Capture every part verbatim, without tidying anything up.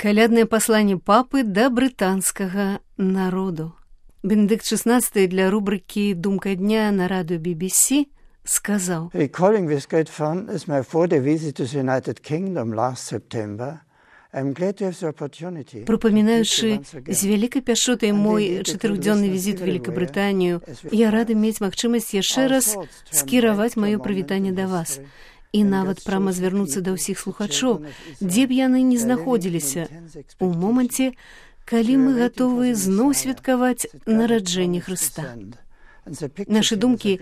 Каляднае пасланне папы да брытанскага народу. Бенедыкт шестнадцатый для рубрыкі «Думка дня» на радыё би би сі сказаў: Recalling with great fondness my four-day visit to the United Kingdom last September, I'm glad to have the opportunity. Прапамінаючы з вялікай пяшотай мой чатырохдзённы візіт у Великабрытанію, я рады мець магчымасць яшчэ раз скіраваць маё прывітанне да вас. І нават прама звярнуцца да ўсіх слухачоў, дзе б яны не знаходзіліся, у моманце, калі мы гатовы зноў святкаваць нараджэнне Хрыста. Нашы думкі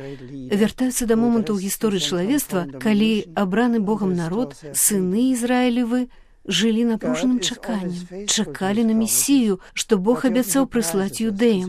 вяртаюцца да моманту ў гісторыі чалавецтва, калі абраны Богам народ, сыны Ізраілевы, жылі напружаным чаканнем, чакалі на Месію, што Бог абяцаў прыслаць юдэям,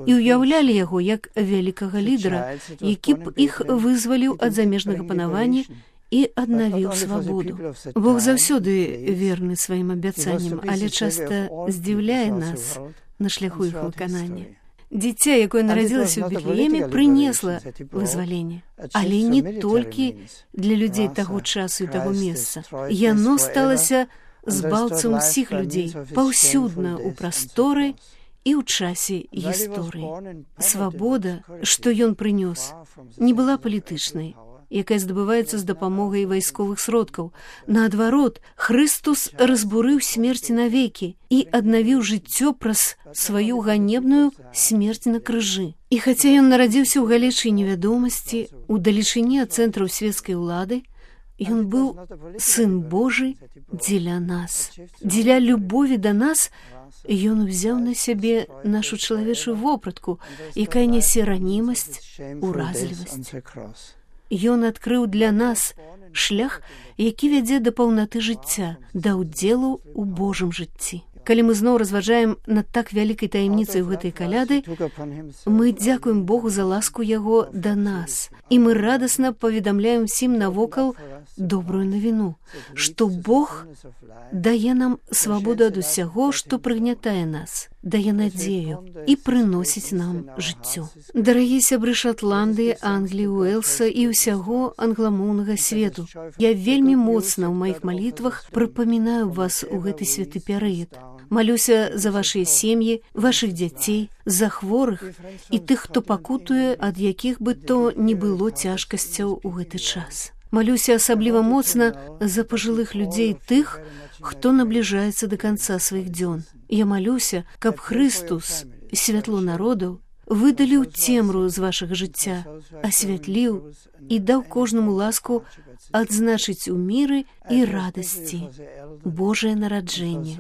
і ўяўлялі яго як вялікага лідара, які б іх вызваліў ад замежнага панавання і аднавіў свабоду. Бог заўсёды верны сваім абяцанням, але часта здзіўляе нас на шляху іх выканання. Дзіця, якое нарадзілася ў Бетлееме, прынесла вызваленне, але не толькі для людзей таго часу і таго месца. Яно сталася збаўцам усіх людзей, паўсюдна ў прасторы і ў часе гісторыі. Свабода, што ён прынёс, не была палітычнай, якая здабываецца з дапамогай вайсковых сродкаў. Наадварот, Хрыстус разбурыў смерць навекі і аднавіў жыццё праз сваю ганебную смерць на крыжы. І хаця ён нарадзіўся ў галечы невядомасці, у далечыні ад цэнтраў свецкай улады, ён быў сын Божы дзеля нас. Дзеля любові да нас ён узяў на сябе нашу чалавечую вопратку, якая нясе ранімасць, уразлівасць. Ён адкрыў для нас шлях, які вядзе да паўнаты жыцця, да ўдзелу ў Божым жыцці. Калі мы зноў разважаем над так вялікай таямніцай у гэтай каляды, мы дзякуем Богу за ласку яго да нас, і мы радасна паведамляем усім навокал добрую навіну, што Бог дае нам свабоду ад усяго, што прыгнятае нас, дае надзею і прыносіць нам жыццё. Дарагія сябры Шатландыі, Англіі, Уэлса і ўсяго англамоўнага свету, я вельмі моцна ў маіх малітвах прыпамінаю вас у гэты святы перыяд. Малюся за вашыя сем'і, вашых дзяцей, за хворых і тых, хто пакутуе, ад якіх бы то не было цяжкасцяў у гэты час. Малюся асабліва моцна за пажылых людзей, тых, хто набліжаецца да канца сваіх дзён. Я малюся, каб Хрыстус, святло народаў, выдаліў цемру з вашага жыцця, асвятліў і даў кожнаму ласку адзначыць у міры і радасці Божае нараджэнне.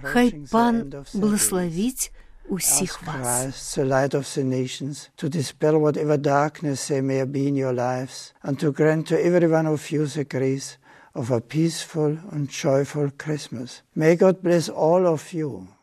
Хай Пан благословіць усіх вас. The light of the nations, to dispel whatever darkness there may be in your lives, and to grant to every one of you the grace of a peaceful and joyful Christmas. May God bless all of you.